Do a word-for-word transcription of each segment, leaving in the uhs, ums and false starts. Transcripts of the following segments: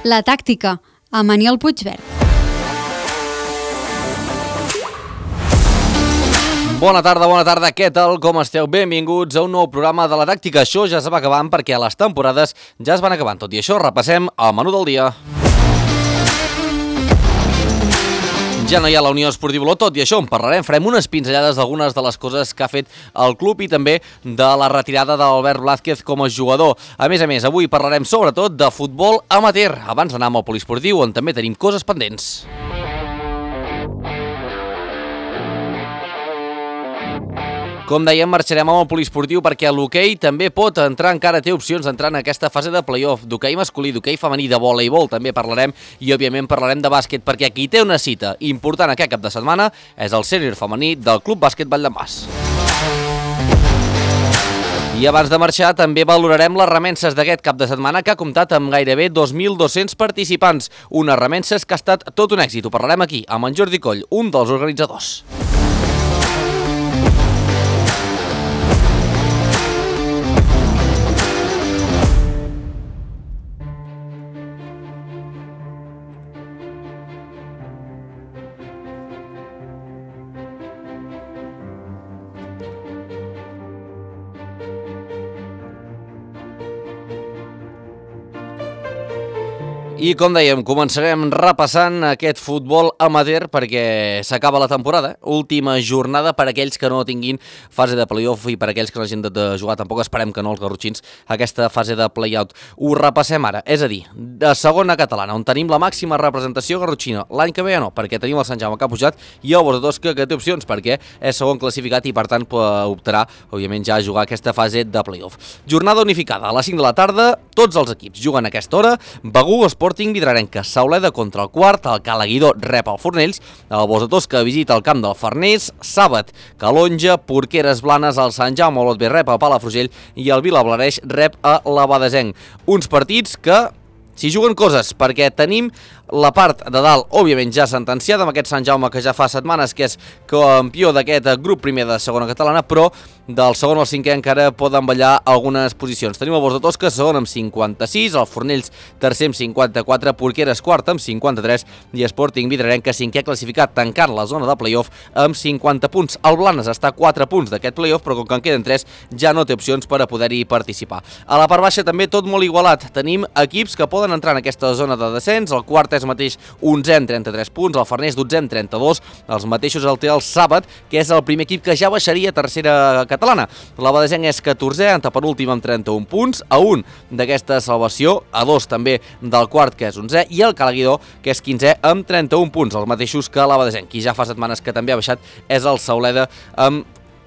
La tàctica, amb Aniol Puigverd. Bona tarda, bona tarda, què tal, com esteu? Benvinguts a un nou programa de La Tàctica. Això ja es va acabant perquè les temporades ja es van acabant. Tot i això, repassem el menú del dia. Ja no hi ha la Unió Esportiva Olot, tot i això en parlarem, farem unes pinzellades d'algunes de les coses que ha fet el club i també de la retirada d'Albert Blázquez com a jugador. A més a més, avui parlarem sobretot de futbol amateur, abans d'anar amb el poliesportiu, on també tenim coses pendents. Com dèiem, marxarem amb el poliesportiu perquè l'hoquei també pot entrar, encara té opcions d'entrar en aquesta fase de play-off, d'hoquei masculí, d'hoquei femení, de voleibol, també parlarem, i òbviament parlarem de bàsquet, perquè qui té una cita important aquest cap de setmana és el sènior femení del Club Bàsquet Valldemars. I abans de marxar també valorarem les remenses d'aquest cap de setmana que ha comptat amb gairebé dos mil dos-cents participants, unes remenses que ha estat tot un èxit. Ho parlarem aquí amb en Jordi Coll, un dels organitzadors. I com dèiem, començarem repassant aquest futbol amateur perquè s'acaba la temporada. Última jornada per aquells que no tinguin fase de play-off i per aquells que no hagin de jugar, tampoc esperem que no els garrotxins, aquesta fase de play-out. Ho repassem ara, és a dir, de segona catalana, on tenim la màxima representació garrotxina. L'any que ve ja no, perquè tenim el Sant Jaume que ha pujat i el Bordeaux que té opcions perquè és segon classificat i per tant optarà, òbviament, ja a jugar aquesta fase de play-off. Jornada unificada, a les cinc de la tarda, tots els equips juguen a aquesta hora. Begur, Sporting Vidrarenca, Sauleda contra el quart, el Calaguidó rep el Fornells, el Bosetós que visita el camp del Farners, Sàbat, Calonja, Porqueres Blanes, el Sant Jaume Olot B rep el Palafrugell i el Vilablareix rep a l'Abadesenc. Uns partits que s'hi juguen coses, perquè tenim la part de dalt, òbviament, ja sentenciada amb aquest Sant Jaume que ja fa setmanes que és campió d'aquest grup primer de segona catalana, però del segon al cinquè encara poden ballar algunes posicions. Tenim el Bos de Tosca, segon amb cinquanta-sis, el Fornells tercer amb cinquanta-quatre, Porqueres quart amb cinquanta-tres i Sporting Vidrarenca cinquè classificat, tancant la zona de play-off amb cinquanta punts. El Blanes està a quatre punts d'aquest play-off, però com que en queden tres ja no té opcions per a poder-hi participar. A la part baixa també tot molt igualat. Tenim equips que poden entrar en aquesta zona de descens. El quart és mateix onzè amb trenta-tres punts, el Farners dotzè amb trenta-dos, els mateixos el té el Sàbat, que és el primer equip que ja baixaria a tercera catalana. L'Abadesenc és catorzè, antepenúltim amb trenta-un punts, a un d'aquesta salvació, a dos també del quart, que és onzè, i el Calaguidó, que és quinzè amb trenta-un punts, els mateixos que l'Abadesenc. Qui ja fa setmanes que també ha baixat és el Sauleda amb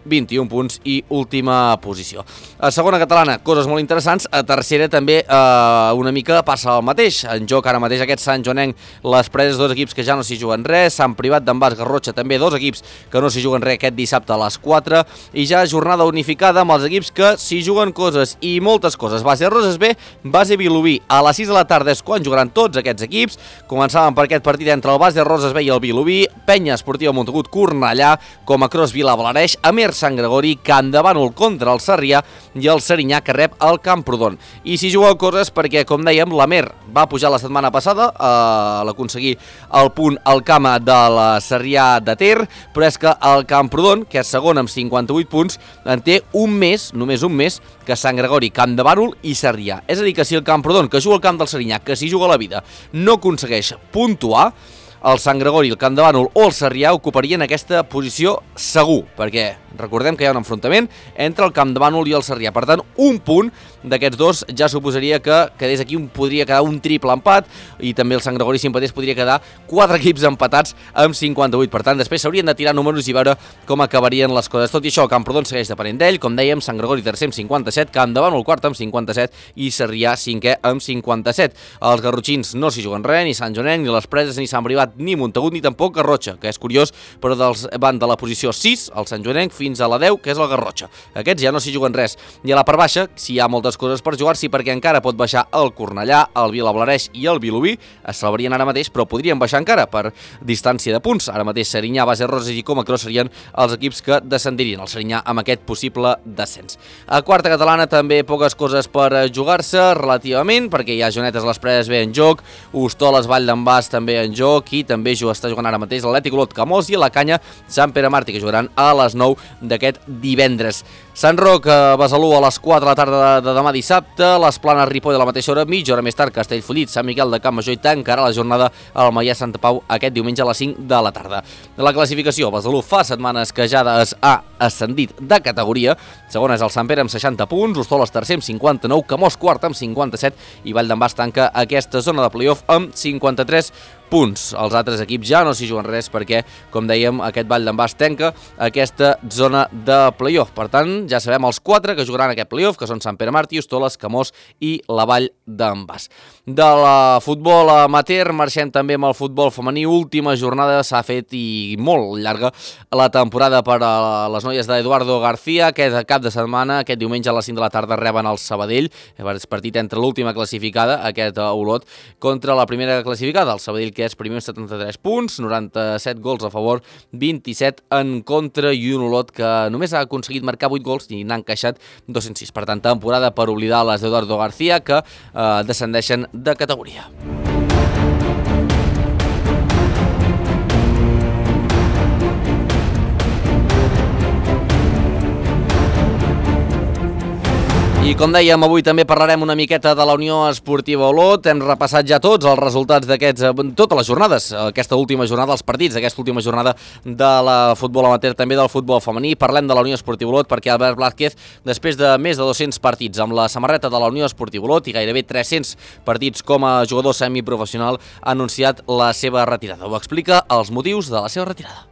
vint-i-un punts i última posició. A segona catalana, coses molt interessants. A tercera també eh, una mica passa el mateix. En joc ara mateix aquest Sant Joanenc, les preses, dos equips que ja no s'hi juguen res. Sant Privat d'en Bas Garrotxa també, dos equips que no s'hi juguen res aquest dissabte a les quatre. I ja jornada unificada amb els equips que s'hi juguen coses i moltes coses. Base Roses B, Base Vilobí. A les sis de la tarda és quan jugaran tots aquests equips. Començàvem per aquest partit entre el Base Roses B i el Vilobí. Penya Esportiva Montagut Cornellà, com a Cros Vilablareix, Amer Sant Gregori, Can de Bànol contra el Sarrià i el Serinyà que rep el Camprodon. I si jugueu coses perquè, com dèiem, l'Amer va pujar la setmana passada a l'aconseguir el punt al camp de la Sarrià de Ter, però és que el Camprodon, que és segon amb cinquanta-vuit punts, en té un mes, només un mes, que Sant Gregori, Can de Bànol i Sarrià. És a dir, que si el Camprodon, que juga al camp del Serinyà, que s'hi juga la vida, no aconsegueix puntuar, el Sant Gregori, el Camp de Bànol o el Sarrià ocuparien aquesta posició segur, perquè recordem que hi ha un enfrontament entre el Camp de Bànol i el Sarrià. Per tant, un punt d'aquests dos ja suposaria que quedés aquí, un, podria quedar un triple empat, i també el Sant Gregori, si empatés, podria quedar quatre equips empatats amb cinquanta-vuit. Per tant, després s'haurien de tirar números i veure com acabarien les coses. Tot i això, el Camprodon segueix depenent d'ell, com dèiem, Sant Gregori tercer amb cinquanta-set, Camp de Bànol quart amb cinquanta-set i Sarrià cinquè amb cinquanta-set. Els garrotxins no s'hi juguen res, ni Sant Joanenc, ni les preses, ni Sant Privat, Prat ni Montagut ni tampoc Garrotxa, que és curiós, però dels, van de la posició sis, el Sant Joanenc, fins a la deu, que és el Garrotxa. Aquests ja no s'hi juguen res. I a la part baixa, si hi ha moltes coses per jugar-s'hi, perquè encara pot baixar el Cornellà, el Vilablareix i el Vilobí, es salvarien ara mateix, però podrien baixar encara per distància de punts. Ara mateix Serinyà, Base Roses i Comacró serien els equips que descendirien, el Serinyà amb aquest possible descens. A quarta catalana també poques coses per jugar-se relativament, perquè hi ha Joanetes les Preses bé en joc, Hostoles Vall d'en Bas també en joc i també està jugant ara mateix l'Atlètic Olot Camós i a la Canya Sant Pere Màrtir, que jugaran a les nou d'aquest divendres. Sant Roc, Besalú a les quatre de la tarda de demà dissabte, les Planes Ripoll a la mateixa hora, mitja hora més tard Castellfollit, Sant Miquel de Campmajor i tancarà la jornada al Maià Santa Pau aquest diumenge a les cinc de la tarda. La classificació, Besalú fa setmanes que ja ha ascendit de categoria, segona és el Sant Pere amb seixanta punts, Hostoles tercer amb cinquanta-nou, Camós quart amb cinquanta-set i Vall d'en Bas tanca aquesta zona de playoff amb cinquanta-tres punts. Els altres equips ja no s'hi juguen res perquè, com dèiem, aquest Vall d'en Bas tanca aquesta zona de playoff. Per tant, ja sabem els quatre que jugaran aquest playoff, que són Sant Pere Màrtir, Hostoles, Camós i la Vall d'en Bas. De la futbol amateur marxem també amb el futbol femení. Última jornada, s'ha fet i molt llarga la temporada per a les noies d'Eduardo García. Aquest cap de setmana, aquest diumenge a les cinc de la tarda reben el Sabadell. És partit entre l'última classificada, aquest Olot, contra la primera classificada, el Sabadell, que és primer amb setanta-tres punts, noranta-set gols a favor, vint-i-set en contra i un Olot que només ha aconseguit marcar vuit gols i n'ha encaixat dos-cents sis. Per tant, temporada per oblidar les d'Eduardo García, que eh, descendeixen de categoria. I com dèiem, avui també parlarem una miqueta de la Unió Esportiva Olot. Hem repassat ja tots els resultats d'aquests, totes les jornades, aquesta última jornada, els partits d'aquesta última jornada de la futbol amateur, també del futbol femení. Parlem de la Unió Esportiva Olot perquè Albert Blázquez, després de més de dos-cents partits amb la samarreta de la Unió Esportiva Olot i gairebé tres-cents partits com a jugador semiprofessional, ha anunciat la seva retirada. Ho explica els motius de la seva retirada.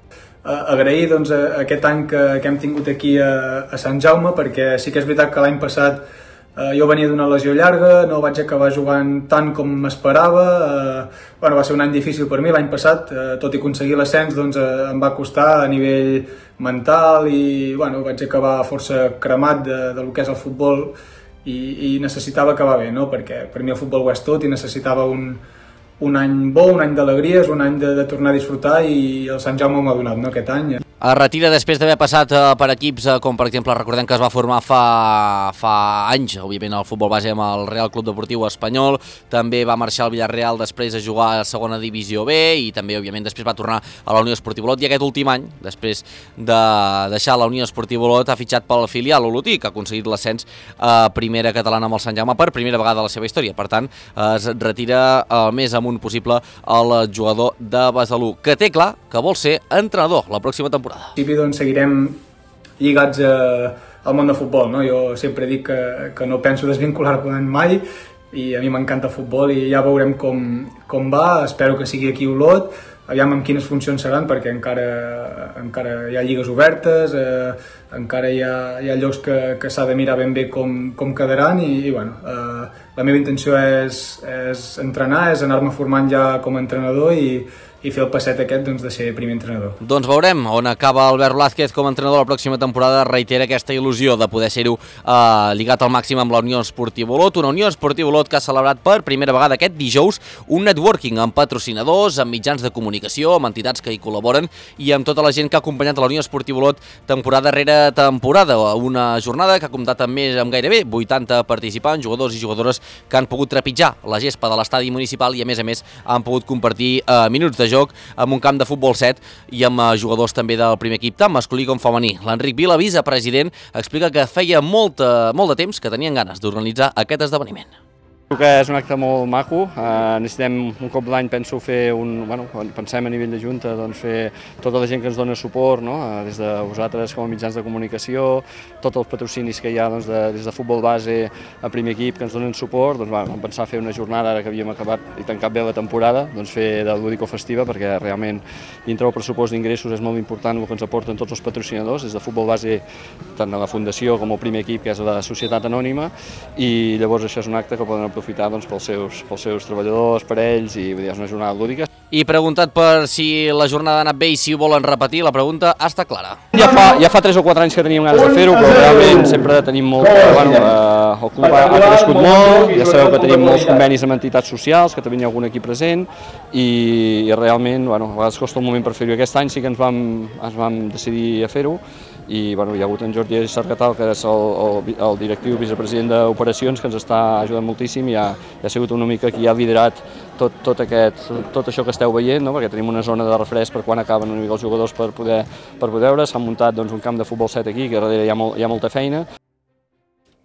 Agrair doncs, aquest any que, que hem tingut aquí a, a Sant Jaume, perquè sí que és veritat que l'any passat eh, jo venia d'una lesió llarga, no vaig acabar jugant tant com m'esperava, eh, bueno, va ser un any difícil per mi l'any passat, eh, tot i aconseguir l'ascens doncs, eh, em va costar a nivell mental i bueno, vaig acabar força cremat de, de lo que és el futbol i, i necessitava acabar bé, no? Perquè per mi el futbol ho és tot i necessitava un un any bo, un any d'alegries, un any de, de tornar a disfrutar i el Sant Jaume m'ha donat, no, aquest any. Es retira després d'haver passat per equips com, per exemple, recordem que es va formar fa, fa anys, òbviament, el futbol base amb el Real Club Deportiu Espanyol, també va marxar al Villarreal després a jugar a segona divisió B i també, òbviament, després va tornar a la Unió Esportiva Olot i aquest últim any, després de deixar la Unió Esportiva Olot, ha fitxat pel filial olotí, que ha aconseguit l'ascens a primera catalana amb el Sant Jaume per primera vegada a la seva història. Per tant, es retira el més amunt possible el jugador de Besalú, que té clar que vol ser entrenador la pròxima temporada. En principi doncs, seguirem lligats a, al món del futbol, no? Jo sempre dic que, que no penso desvincular-me mai i a mi m'encanta el futbol i ja veurem com, com va, espero que sigui aquí a Olot, aviam amb quines funcions seran perquè encara, encara hi ha lligues obertes, eh, encara hi ha, hi ha llocs que, que s'ha de mirar ben bé com, com quedaran i, i bueno, eh, la meva intenció és, és entrenar, és anar-me formant ja com a entrenador i i fer el passet aquest doncs, de ser primer entrenador. Doncs veurem on acaba Albert Blázquez com a entrenador la pròxima temporada. Reitera aquesta il·lusió de poder ser-ho eh, lligat al màxim amb la Unió Esportiva Olot, una Unió Esportiva Olot que ha celebrat per primera vegada aquest dijous un networking amb patrocinadors, amb mitjans de comunicació, amb entitats que hi col·laboren i amb tota la gent que ha acompanyat la Unió Esportiva Olot temporada rere temporada. Una jornada que ha comptat amb més amb gairebé vuitanta participants, jugadors i jugadores que han pogut trepitjar la gespa de l'estadi municipal i a més a més han pogut compartir eh, minuts de joc amb un camp de futbol set i amb jugadors també del primer equip, tant masculí com femení. L'Enric Vila, vicepresident, explica que feia molt, molt de temps que tenien ganes d'organitzar aquest esdeveniment. Crec que és un acte molt maco, eh, necessitem un cop l'any, penso, fer un, bueno, quan pensem a nivell de Junta, doncs fer tota la gent que ens dona suport, no? eh, des de vosaltres com a mitjans de comunicació, tots els patrocinis que hi ha doncs, de, des de futbol base a primer equip que ens donen suport, doncs bueno, vam pensar fer una jornada ara que havíem acabat i tancat bé la temporada, doncs fer de lúdico-festiva perquè realment dintre del pressupost d'ingressos és molt important el que ens aporten tots els patrocinadors, des de futbol base tant a la Fundació com al primer equip que és la Societat Anònima i llavors això és un acte que poden aprofitar doncs, pels, seus, pels seus treballadors, per ells i vull dir, és una jornada lúdica. I preguntat per si la jornada ha anat bé i si ho volen repetir, la pregunta està clara. Ja fa, ja fa tres o quatre anys que teníem ganes de fer-ho, però realment sempre tenim molt... Bueno, eh, el club ha, ha crescut molt, ja sabeu que tenim molts convenis amb entitats socials, que també hi ha algun aquí present, i, i realment, bueno, a vegades costa un moment per fer-ho. Aquest any sí que ens vam, ens vam decidir a fer-ho, i bueno, hi ha hagut en Jordi Sargatal, que és el, el, el directiu vicepresident d'operacions, que ens està ajudant moltíssim i ha, ha sigut una mica qui ha liderat tot, tot, aquest, tot això que esteu veient, no? Perquè tenim una zona de refresc per quan acaben una mica els jugadors per poder, per poder veure. S'ha muntat doncs, un camp de futbol set aquí, que darrere hi ha, molt, hi ha molta feina.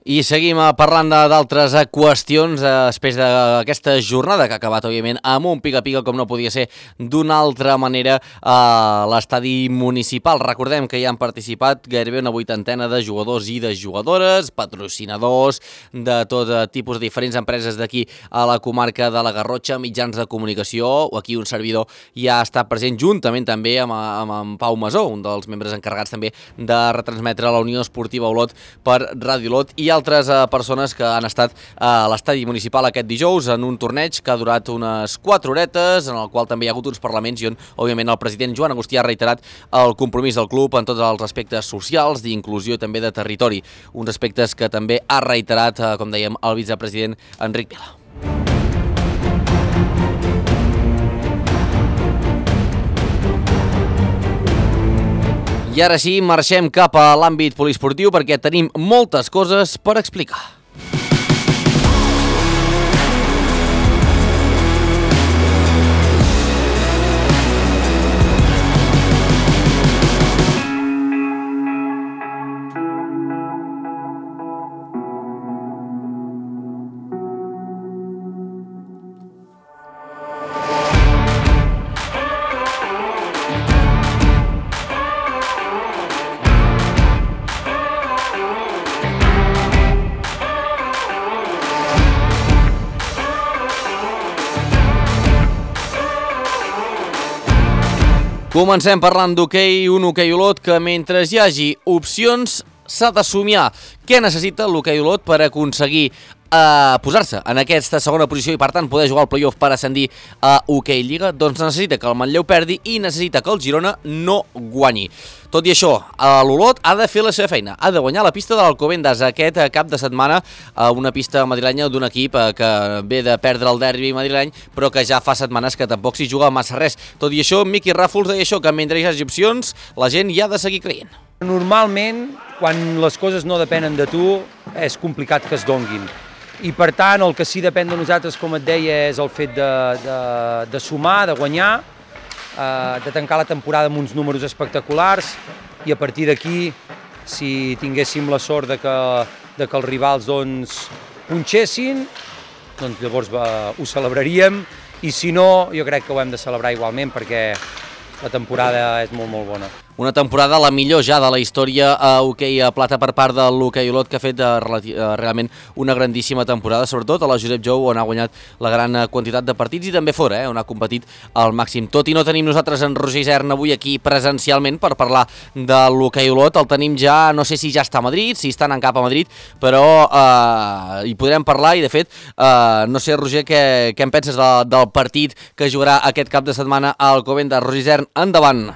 I seguim parlant d'altres qüestions després d'aquesta jornada que ha acabat, òbviament, amb un pica-pica, com no podia ser d'una altra manera, a l'estadi municipal. Recordem que hi han participat gairebé una vuitantena de jugadors i de jugadores, patrocinadors de tot tipus de diferents empreses d'aquí a la comarca de la Garrotxa, mitjans de comunicació, o aquí un servidor ja ha estat present juntament també amb, amb, amb Pau Masó, un dels membres encarregats també de retransmetre la Unió Esportiva Olot per Ràdio Olot, i altres eh, persones que han estat a l'estadi municipal aquest dijous en un torneig que ha durat unes quatre horetes, en el qual també hi ha hagut uns parlaments i on, òbviament, el president Joan Agustí ha reiterat el compromís del club en tots els aspectes socials, d'inclusió i també de territori. Uns aspectes que també ha reiterat, eh, com dèiem, el vicepresident Enric Vila. I ara sí, marxem cap a l'àmbit poliesportiu perquè tenim moltes coses per explicar. Comencem parlant d'hoquei, un hoquei Olot que mentre hi hagi opcions s'ha de somiar. Què necessita l'hoquei Olot per aconseguir eh, posar-se en aquesta segona posició i per tant poder jugar al play-off per ascendir a Hoquei Lliga? Doncs necessita que el Manlleu perdi i necessita que el Girona no guanyi. Tot i això, l'Olot ha de fer la seva feina, ha de guanyar la pista de l'Alcobendas aquest cap de setmana, una pista madrilenya d'un equip que ve de perdre el derbi madrileny, però que ja fa setmanes que tampoc s'hi juga massa res. Tot i això, Miqui Ràfols deia això, que mentre hi hagi opcions, la gent hi ha de seguir creient. Normalment, quan les coses no depenen de tu, és complicat que es donguin. I per tant, el que sí depèn de nosaltres, com et deia, és el fet de, de, de sumar, de guanyar, de tancar la temporada amb uns números espectaculars i a partir d'aquí, si tinguéssim la sort de que, de que els rivals doncs, punxessin, doncs llavors va, ho celebraríem, i si no, jo crec que ho hem de celebrar igualment perquè la temporada és molt, molt bona. Una temporada la millor ja de la història a hoquei a plata per part de l'hoquei Olot, que ha fet realment una grandíssima temporada, sobretot a la Josep Jou, on ha guanyat la gran quantitat de partits i també fora, eh, on ha competit al màxim. Tot i no tenim nosaltres en Roger Isern avui aquí presencialment per parlar de l'hoquei Olot, el tenim ja, no sé si ja està a Madrid, si està anant cap a Madrid, però eh, hi podrem parlar i de fet, eh, no sé, Roger, què, què en penses de, del partit que jugarà aquest cap de setmana a Alcobendas? Roger Isern, endavant!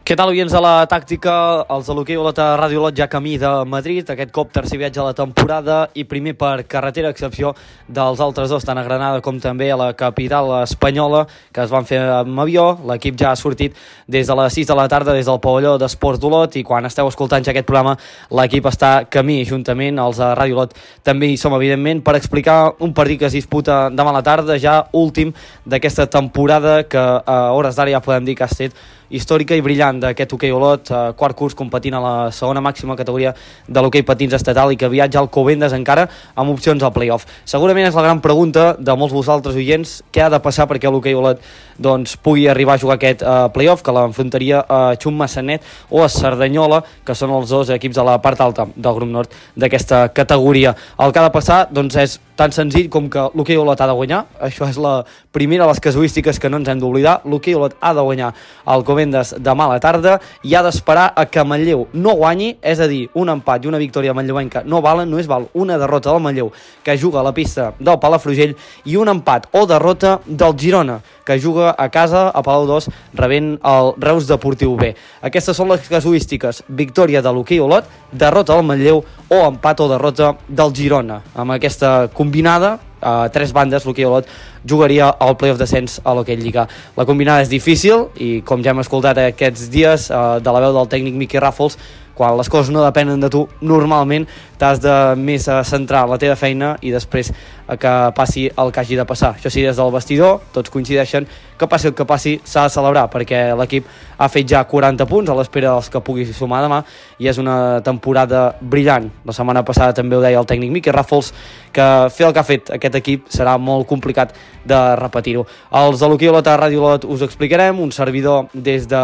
Què tal, oients de la tàctica? Els de l'hoquei Olot a Ràdio Olot ja camí de Madrid, aquest cop tercer viatge a la temporada i primer per carretera, a excepció dels altres dos, tant a Granada com també a la capital espanyola, que es van fer amb avió. L'equip ja ha sortit des de les sis de la tarda des del pavelló d'Esports d'Olot i quan esteu escoltant ja aquest programa l'equip està camí, juntament els de Ràdio Olot també hi som, evidentment, per explicar un partit que es disputa demà a la tarda, ja últim d'aquesta temporada, que a hores d'ara ja podem dir que ha estat històrica i brillant d'aquest hoquei Olot, eh, quart curs competint a la segona màxima categoria de l'hoquei patins estatal i que viatja al Alcobendas encara amb opcions al play-off. Segurament és la gran pregunta de molts vosaltres oients, què ha de passar perquè l'hoquei Olot doncs, pugui arribar a jugar aquest eh, play-off, que l'enfrontaria a Xum Massanet o a Cerdanyola, que són els dos equips de la part alta del grup nord d'aquesta categoria. El que ha de passar doncs, és tan senzill com que l'hoquei Olot ha de guanyar, això és la primera de les casuístiques que no ens hem d'oblidar, l'hoquei Olot ha de guanyar al Alcobendas Alcobendas demà a la tarda i ha d'esperar a que Manlleu no guanyi, és a dir, un empat i una victòria manlleuenca no valen, només val una derrota del Manlleu que juga a la pista del Palafrugell i un empat o derrota del Girona que juga a casa a Palau dos rebent el Reus Deportiu B. Aquestes són les casuístiques: victòria de l'Hoquei Olot, derrota del Manlleu o empat o derrota del Girona. Amb aquesta combinada, a tres bandes, l'Hoquei Olot jugaria al playoff descens a l'Hoquei Lliga. La combinada és difícil i, com ja hem escoltat aquests dies eh, de la veu del tècnic Miqui Ràfols, quan les coses no depenen de tu, normalment t'has de més a centrar la teva feina i després a que passi el que hagi de passar. Això sí, des del vestidor tots coincideixen que passi el que passi s'ha de celebrar, perquè l'equip ha fet ja quaranta punts a l'espera dels que pugui sumar demà i és una temporada brillant. La setmana passada també ho deia el tècnic Miqui Ràfols, que fer el que ha fet aquest equip serà molt complicat de repetir-ho. Els de l'Hoquei Olot a Ràdio Olot us ho explicarem, un servidor des de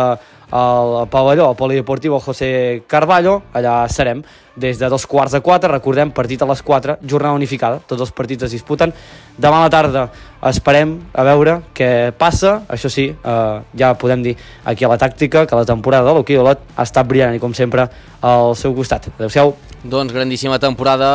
el pavelló polideportiu José Carballo, allà serem des de dos quarts de quatre, recordem, partit a les quatre, jornada unificada, tots els partits es disputen demà a la tarda. Esperem a veure què passa. Això sí, eh, ja podem dir aquí a la tàctica que la temporada de l'Hoquei Olot ha estat brillant i com sempre al seu costat. Adéu-siau. Doncs grandíssima temporada,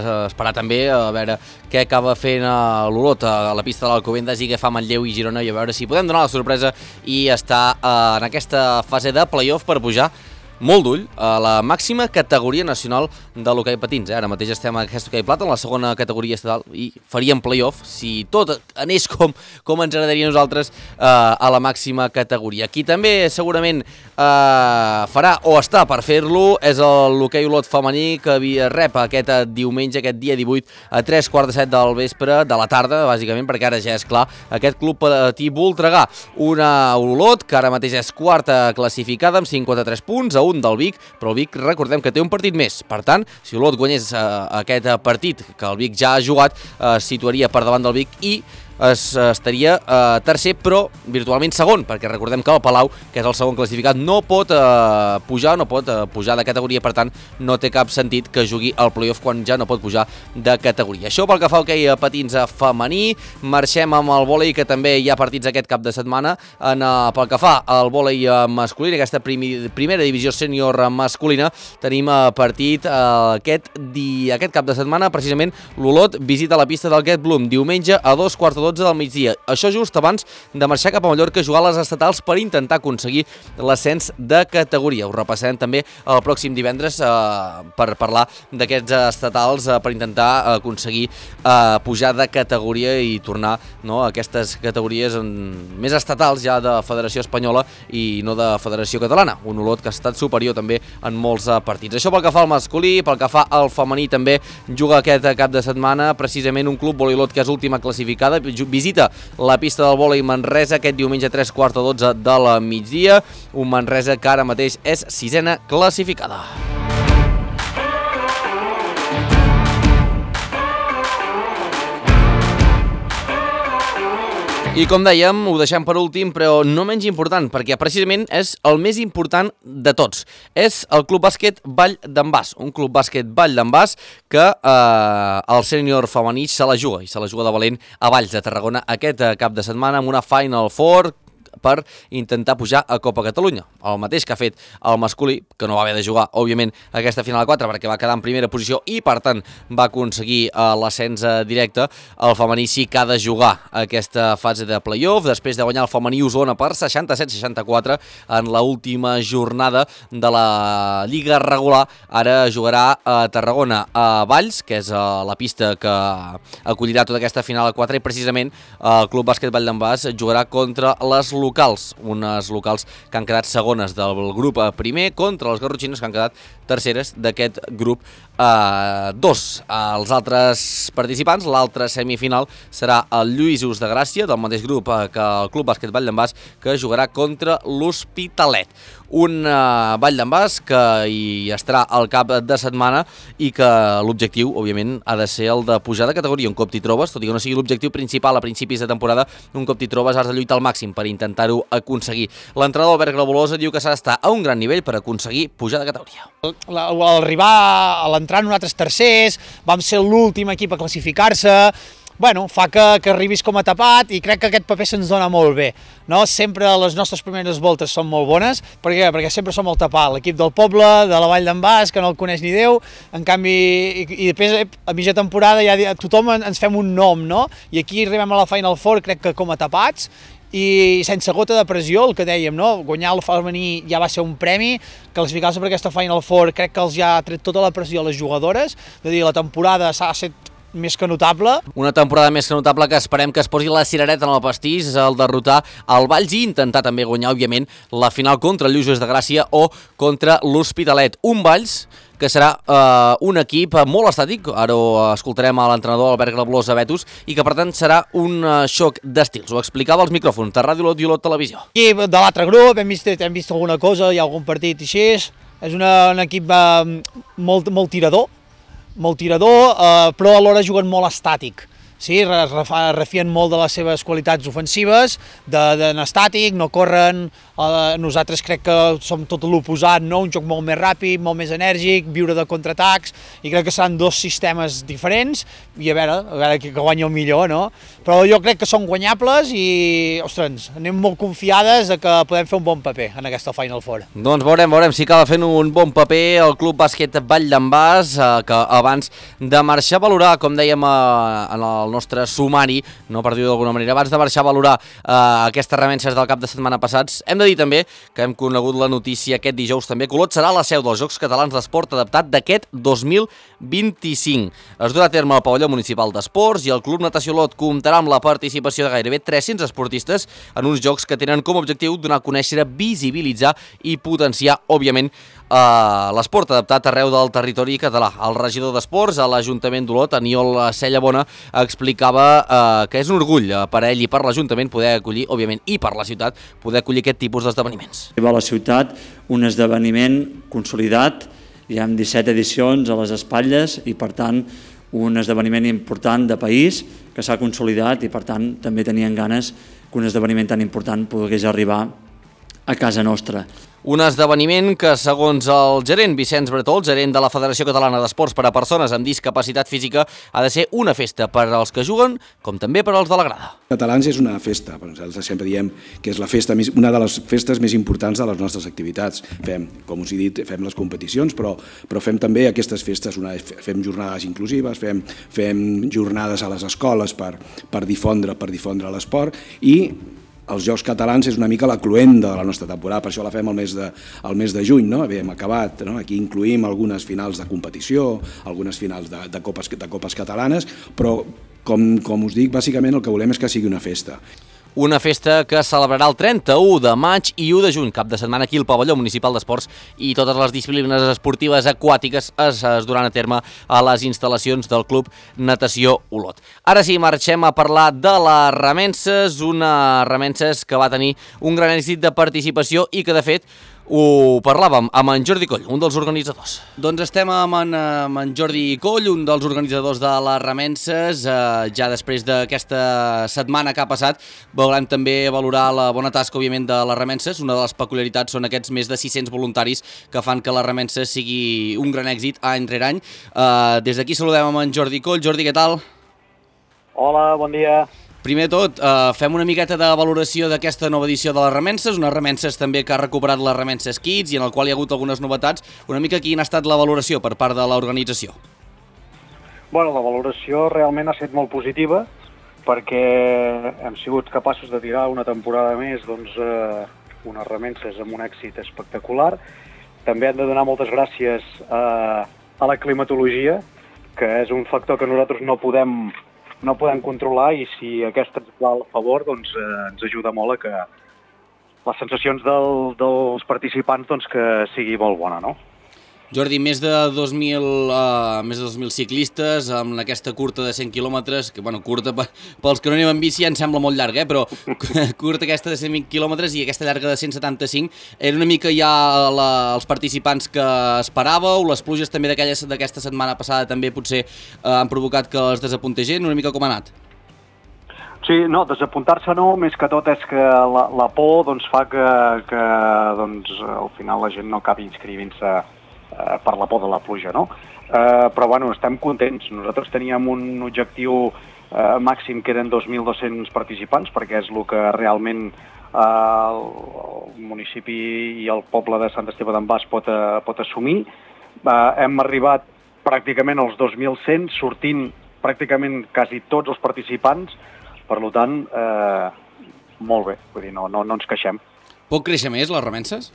eh, esperar també a veure què acaba fent l'Olot a la pista de l'Alcobendas i què fa Manlleu i Girona, i a veure si podem donar la sorpresa i estar eh, en aquesta fase de play-off per pujar molt d'ull a la màxima categoria nacional de l'hoquei patins. Eh? Ara mateix estem a aquest hoquei plata, en la segona categoria estatal, i faríem play-off si tot anés com, com ens agradaria a nosaltres eh, a la màxima categoria. Qui també segurament eh, farà o està per fer-lo és l'hoquei Olot femení, que rep aquest diumenge, aquest dia divuit, a tres quarts de set del vespre, de la tarda, bàsicament, perquè ara ja és clar, aquest club patí Voltregà. Una Olot que ara mateix és quarta classificada amb cinquanta-tres punts, a un del Vic, però el Vic recordem que té un partit més. Per tant, si Olot guanyés eh, aquest partit que el Vic ja ha jugat, eh, situaria per davant del Vic i es, estaria eh, tercer, però virtualment segon, perquè recordem que el Palau, que és el segon classificat, no pot eh, pujar, no pot eh, pujar de categoria, per tant no té cap sentit que jugui al play-off quan ja no pot pujar de categoria. Això pel que fa al hoquei patins femení. Marxem amb el vòlei, que també hi ha partits aquest cap de setmana. En, uh, pel que fa al vòlei masculí, aquesta primi, primera divisió sènior masculina, tenim uh, partit uh, aquest, di, aquest cap de setmana. Precisament l'Olot visita la pista del Get Bloom diumenge a dos quarts de dotze del migdia. Això just abans de marxar cap a Mallorca a jugar a les estatals per intentar aconseguir l'ascens de categoria. Ho repassarem també el pròxim divendres eh, per parlar d'aquests estatals, eh, per intentar aconseguir eh, pujar de categoria i tornar, no, a aquestes categories en, més estatals ja de Federació Espanyola i no de Federació Catalana. Un Olot que ha estat superior també en molts eh, partits. Això pel que fa al masculí. Pel que fa al femení també juga aquest cap de setmana precisament un club Vòlei Olot que és última classificada. Visita la pista del vòlei Manresa aquest diumenge a tres quarts de dotze de la migdia. Un Manresa que ara mateix és sisena classificada. I com dèiem, ho deixem per últim, però no menys important, perquè precisament és el més important de tots. És el Club Bàsquet Vall d'en Bas, un Club Bàsquet Vall d'en Bas que eh, el sènior femení se la juga, i se la juga de valent a Valls de Tarragona aquest cap de setmana amb una Final Four per intentar pujar a Copa Catalunya. El mateix que ha fet el masculí, que no va haver de jugar, òbviament, aquesta final a quatre perquè va quedar en primera posició i, per tant, va aconseguir uh, l'ascens directe. El femení sí que ha de jugar aquesta fase de play-off, després de guanyar el femení Osona per seixanta-set seixanta-quatre en l'última jornada de la Lliga regular. Ara jugarà a Tarragona a Valls, que és uh, la pista que acollirà tota aquesta final a quatre, i precisament uh, el Club Bàsquet Vall d'en Bas jugarà contra les locals, unes locals que han quedat segones del grup primer contra les garrotxines que han quedat terceres d'aquest grup eh, dos. Els altres participants, l'altra semifinal serà el Lluïsos de Gràcia, del mateix grup eh, que el Club Bàsquet Vall d'en Bas, que jugarà contra l'Hospitalet. Un eh, Vall d'en Bas que hi estarà al cap de setmana i que l'objectiu, òbviament, ha de ser el de pujar de categoria. Un cop t'hi trobes, tot i que no sigui l'objectiu principal a principis de temporada, un cop t'hi trobes has de lluitar al màxim per intentar-ho aconseguir. L'entrenador Albert Grabolosa diu que s'ha d'estar a un gran nivell per aconseguir pujar de categoria. Al arribar a l'entrar nosaltres tercers, vam ser l'últim equip a classificar-se, bueno, fa que, que arribis com a tapat i crec que aquest paper se'ns dona molt bé. No? Sempre les nostres primeres voltes són molt bones, per què? Perquè sempre som el tapat, l'equip del poble, de la Vall d'en Bas, que no el coneix ni Déu, en canvi, i, i després a mitja temporada ja tothom ens fem un nom, no? I aquí arribem a la Final Four, crec que com a tapats, i sense gota de pressió, el que dèiem, no? Guanyar el femení ja va ser un premi, classificar-se per aquesta Final Four crec que els ja ha tret tota la pressió a les jugadores, de dir, la temporada s'ha set més que notable. Una temporada més que notable que esperem que es posi la cirereta en el pastís al derrotar el Valls i intentar també guanyar, òbviament, la final contra el Lluços de Gràcia o contra l'Hospitalet. Un Valls que serà eh, un equip molt estàtic, ara ho escoltarem a l'entrenador Albert Grablós a Betus, i que per tant serà un uh, xoc d'estils. Ho explicava als micròfons de Ràdio Olot i Olot Televisió. I de l'altre grup hem vist, hem vist alguna cosa, hi ha algun partit així, és una, un equip eh, molt, molt tirador, molt tirador, eh, però alhora juguen molt estàtic. Sí, refien molt de les seves qualitats ofensives, d'anar estàtic, no corren, eh, nosaltres crec que som tot l'oposat, no? Un joc molt més ràpid, molt més enèrgic, viure de contraatacs, i crec que seran dos sistemes diferents, i a veure, a veure qui guanya el millor, no? Però jo crec que són guanyables i, ostres, anem molt confiades de que podem fer un bon paper en aquesta Final Four. Doncs veurem, veurem si acaba fent un bon paper el Club Bàsquet Vall d'en Bas, eh, que abans de marxar a valorar, com dèiem eh, en el el nostre sumari, no per dir-ho d'alguna manera, abans de marxar a valorar eh, aquestes remences del cap de setmana passats, hem de dir també que hem conegut la notícia aquest dijous també, que Olot serà la seu dels Jocs Catalans d'Esport adaptat d'aquest dos mil vint-i-cinc. Es durà a terme al pavelló municipal d'esports i el Club Natació Olot comptarà amb la participació de gairebé tres-cents esportistes en uns jocs que tenen com a objectiu donar a conèixer, visibilitzar i potenciar, òbviament, Uh, l'esport adaptat arreu del territori català. El regidor d'Esports a l'Ajuntament d'Olot, Aniol Cellabona, explicava uh, que és un orgull per a ell i per l'Ajuntament poder acollir, òbviament, i per la ciutat, poder acollir aquest tipus d'esdeveniments. Arriba a la ciutat un esdeveniment consolidat, hi ha disset edicions a les espatlles i, per tant, un esdeveniment important de país que s'ha consolidat i, per tant, també tenien ganes que un esdeveniment tan important pogués arribar a casa nostra. Un esdeveniment que, segons el gerent Vicenç Bretó, el gerent de la Federació Catalana d'Esports per a Persones amb Discapacitat Física, ha de ser una festa per als que juguen, com també per als de la grada. Catalans és una festa, nosaltres sempre diem que és la festa més, una de les festes més importants de les nostres activitats. Fem, com us he dit, fem les competicions, però, però fem també aquestes festes, una, fem jornades inclusives, fem, fem jornades a les escoles per, per difondre, per difondre l'esport, i els Jocs Catalans és una mica la cloenda de la nostra temporada, per això la fem al mes de, al mes de juny, no? Bé, hem acabat, no? Aquí incluïm algunes finals de competició, algunes finals de, de, copes, de copes catalanes, però com, com us dic, bàsicament el que volem és que sigui una festa. Una festa que celebrarà el trenta-u de maig i u de juny, cap de setmana aquí al pavelló municipal d'esports, i totes les disciplines esportives aquàtiques es, es duran a terme a les instal·lacions del Club Natació Olot. Ara sí, marxem a parlar de les remences, una remences que va tenir un gran èxit de participació i que, de fet, ho parlàvem amb en Jordi Coll, un dels organitzadors. Doncs estem amb en, amb en Jordi Coll, un dels organitzadors de les remences. Eh, ja després d'aquesta setmana que ha passat, veurem també valorar la bona tasca, òbviament, de les remences. Una de les peculiaritats són aquests més de sis-cents voluntaris que fan que les remences sigui un gran èxit any rere any. Eh, des d'aquí saludem amb en Jordi Coll. Jordi, què tal? Hola, bon dia. Primer de tot, eh, fem una miqueta de valoració d'aquesta nova edició de les remences, unes remences també que ha recuperat les remences Kids i en el qual hi ha hagut algunes novetats. Una mica quina ha estat la valoració per part de l'organització? Bueno, la valoració realment ha estat molt positiva perquè hem sigut capaços de tirar una temporada més doncs, eh, unes remences amb un èxit espectacular. També hem de donar moltes gràcies a, a la climatologia, que és un factor que nosaltres no podem no podem controlar, i si aquesta ens va al favor, doncs eh, ens ajuda molt a que les sensacions del, dels participants doncs, que sigui molt bona, no? Jordi, més de dos mil, uh, més de dos mil ciclistes amb aquesta curta de cent quilòmetres, que, bueno, curta pels que no anem en bici ja ens sembla molt llarga, eh? Però curta aquesta de cent vint quilòmetres i aquesta llarga de cent setanta-cinc, era una mica ja la, els participants que esperàveu, les pluges també d'aquesta setmana passada també potser uh, han provocat que els desapuntés gent, una mica com ha anat? Sí, no, desapuntar-se no, més que tot és que la, la por doncs, fa que, que doncs, al final la gent no acabi inscrivint-se eh, per la por de la pluja, no? Eh, però bueno, estem contents. Nosaltres teníem un objectiu eh, màxim que eren dos mil dos-cents participants, perquè és el que realment eh, el, el municipi i el poble de Sant Esteve d'en Bas pot, eh, pot assumir. Eh, hem arribat pràcticament als dos mil cent, sortint pràcticament quasi tots els participants, per tant, eh, molt bé, vull dir, no, no, no ens queixem. Pot créixer més, les remenses?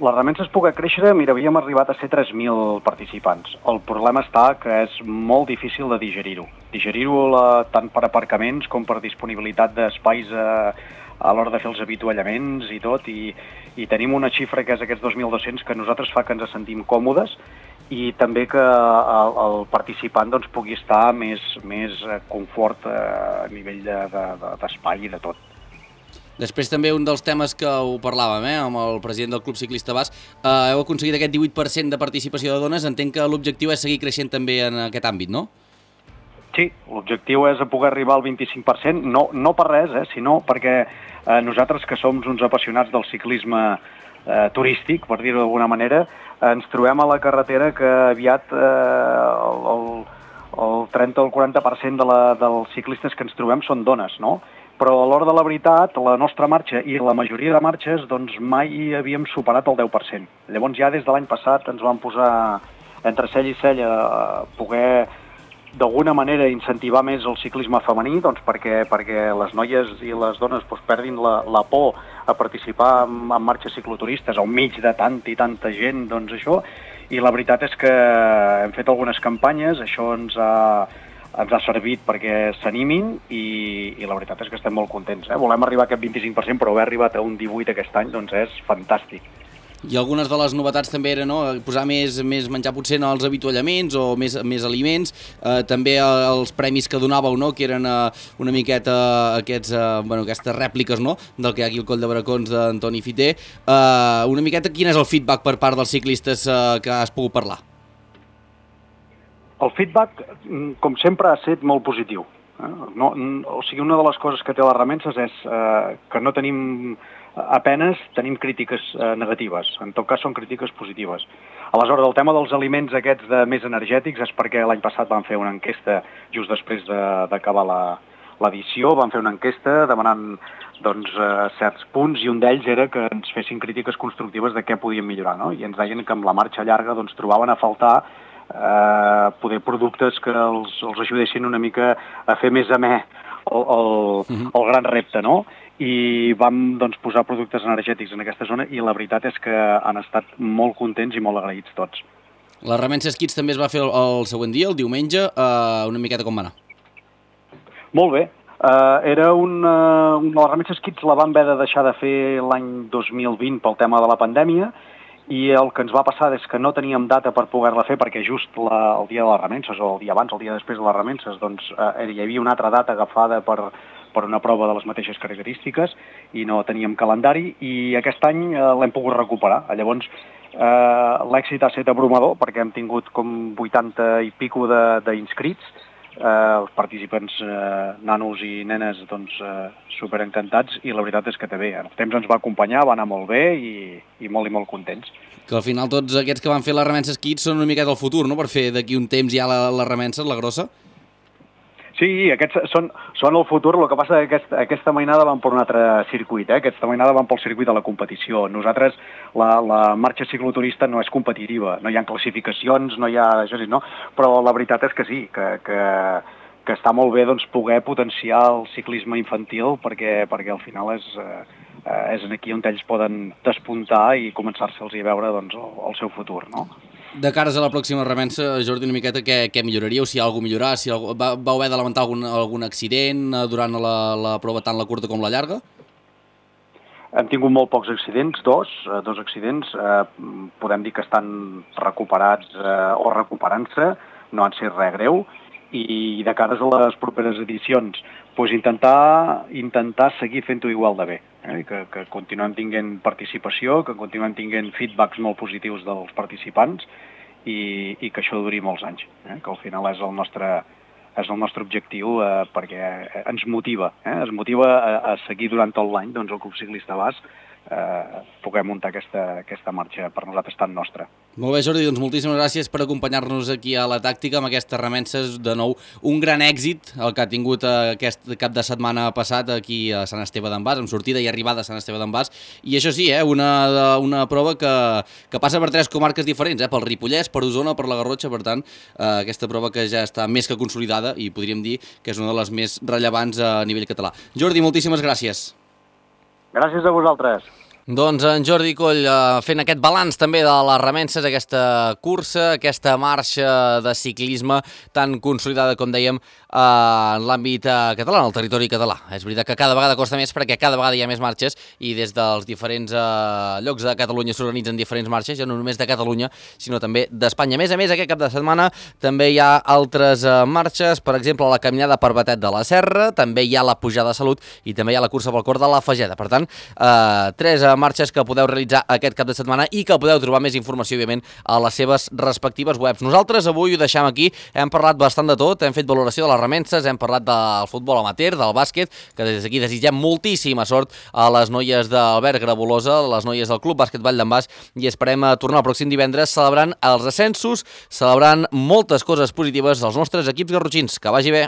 Les remenses poder créixer, mira, havíem arribat a ser tres mil participants. El problema està que és molt difícil de digerir-ho. Digerir-ho tant per aparcaments com per disponibilitat d'espais a, a l'hora de fer els avituallaments i tot, i, i tenim una xifra que és aquests dos mil dos-cents que nosaltres fa que ens sentim còmodes i també que el, el participant doncs, pugui estar més, més confort a nivell d'espai de, de, i de tot. Després també un dels temes que ho parlàvem eh, amb el president del Club Ciclista Bas, eh, heu aconseguit aquest divuit per cent de participació de dones, entenc que l'objectiu és seguir creixent també en aquest àmbit, no? Sí, l'objectiu és poder arribar al vint-i-cinc per cent, no, no per res, eh, sinó perquè eh, nosaltres que som uns apassionats del ciclisme eh, turístic, per dir-ho d'alguna manera, eh, ens trobem a la carretera que aviat eh, el, el, el trenta o el quaranta per cent de la, dels ciclistes que ens trobem són dones, no? Però a l'hora de la veritat, la nostra marxa i la majoria de marxes doncs mai havíem superat el deu per cent. Llavors ja des de l'any passat ens vam posar entre cell i cell a poder d'alguna manera incentivar més el ciclisme femení, doncs perquè, perquè les noies i les dones doncs, perdin la, la por a participar en, en marxes cicloturistes al mig de tanta i tanta gent, doncs això, i la veritat és que hem fet algunes campanyes, això ens ha, ens ha servit perquè s'animin i, i la veritat és que estem molt contents. Eh? Volem arribar a aquest vint-i-cinc per cent, però haver arribat a un divuit per cent aquest any doncs és fantàstic. I algunes de les novetats també eren no? posar més, més menjar potser en els avituallaments o més, més aliments, eh, també els premis que donàveu, no? que eren eh, una miqueta aquests, eh, bueno, aquestes rèpliques no? del que hi ha aquí al Coll de Bracons d'Antoni Fiter. Eh, una miqueta quin és el feedback per part dels ciclistes eh, que has pogut parlar? El feedback, com sempre, ha estat molt positiu. Eh? No, o sigui, una de les coses que té les remenses és eh, que no tenim apenes tenim crítiques eh, negatives, en tot cas són crítiques positives. Aleshores, el tema dels aliments aquests de més energètics és perquè l'any passat vam fer una enquesta just després d'acabar de, l'edició, vam fer una enquesta demanant doncs, eh, certs punts i un d'ells era que ens fessin crítiques constructives de què podíem millorar, no? I ens deien que amb la marxa llarga doncs, trobaven a faltar eh, poder productes que els, els ajudessin una mica a fer més amè el, el, el gran repte, no? I vam doncs, posar productes energètics en aquesta zona i la veritat és que han estat molt contents i molt agraïts tots. La Remenses Kids també es va fer el, el següent dia, el diumenge, eh, una miqueta com va anar? Molt bé. Uh, era una, una... La Remenses Kids la vam haver de deixar de fer l'any dos mil vint pel tema de la pandèmia i el que ens va passar és que no teníem data per poder-la fer perquè just la, el dia de les Remenses o el dia abans, el dia després de les Remenses, doncs uh, hi havia una altra data agafada per per una prova de les mateixes característiques i no teníem calendari i aquest any eh, l'hem pogut recuperar. Llavors, eh, l'èxit ha estat abrumador perquè hem tingut com vuitanta i pico d'inscrits, eh, els participants eh, nanos i nenes doncs, eh, superencantats i la veritat és que també. El temps ens va acompanyar, va anar molt bé i, i molt i molt contents. Que al final tots aquests que van fer les Remenses Kids són una miqueta el futur, no? Per fer d'aquí un temps ja la, la Remenses, la grossa? Sí, aquests són, són el futur, el que passa és que aquesta, aquesta mainada van per un altre circuit, eh? Aquesta mainada van pel circuit de la competició. Nosaltres, la, la marxa cicloturista no és competitiva, no hi ha classificacions, no hi ha això, no? Però la veritat és que sí, que, que, que està molt bé doncs, poder potenciar el ciclisme infantil perquè, perquè al final és, eh, és aquí on ells poden despuntar i començar-se'ls a veure doncs, el, el seu futur, no? De cares a la pròxima remensa, Jordi, una miqueta què, què milloraríeu, si hi ha alguna cosa a millorar, si algú, va, vau haver de lamentar algun, algun accident durant la, la prova tant la curta com la llarga? Hem tingut molt pocs accidents, dos, dos accidents, eh, podem dir que estan recuperats eh, o recuperant-se, no han set res greu, i de cares a les properes edicions, doncs intentar, intentar seguir fent-ho igual de bé, eh? que, que continuem tinguent participació, que continuem tinguent feedbacks molt positius dels participants i, i que això duri molts anys, eh? que al final és el nostre, és el nostre objectiu eh, perquè ens motiva, eh? ens motiva a, a seguir durant tot l'any doncs, el Club Ciclista Bas eh, poder muntar aquesta, aquesta marxa per nosaltres tan nostra. Molt bé, Jordi, doncs moltíssimes gràcies per acompanyar-nos aquí a la tàctica amb aquestes remenses. De nou, un gran èxit el que ha tingut aquest cap de setmana passat aquí a Sant Esteve d'en Bas, amb sortida i arribada a Sant Esteve d'en Bas. I això sí, eh, una, una prova que, que passa per tres comarques diferents, eh, pel Ripollès, per Osona, per la Garrotxa, per tant, eh, aquesta prova que ja està més que consolidada i podríem dir que és una de les més rellevants a nivell català. Jordi, moltíssimes gràcies. Gràcies a vosaltres. Doncs en Jordi Coll eh, fent aquest balanç també de les remenses, aquesta cursa, aquesta marxa de ciclisme tan consolidada, com dèiem, eh, en l'àmbit eh, català, en el territori català. És veritat que cada vegada costa més perquè cada vegada hi ha més marxes i des dels diferents eh, llocs de Catalunya s'organitzen diferents marxes, ja no només de Catalunya, sinó també d'Espanya. A més a més, aquest cap de setmana també hi ha altres eh, marxes, per exemple, la caminada per Batet de la Serra, també hi ha la pujada a Salut i també hi ha la cursa pel cor de la Fageda. Per tant, eh, tres eh, marxes que podeu realitzar aquest cap de setmana i que podeu trobar més informació, òbviament, a les seves respectives webs. Nosaltres avui ho deixem aquí, hem parlat bastant de tot, hem fet valoració de les remenses, hem parlat del futbol amateur, del bàsquet, que des d'aquí desitgem moltíssima sort a les noies d'Albert Grabolosa, les noies del Club Bàsquet Vall d'en Bas, i esperem tornar el pròxim divendres celebrant els ascensos, celebrant moltes coses positives dels nostres equips garrotxins. Que vagi bé!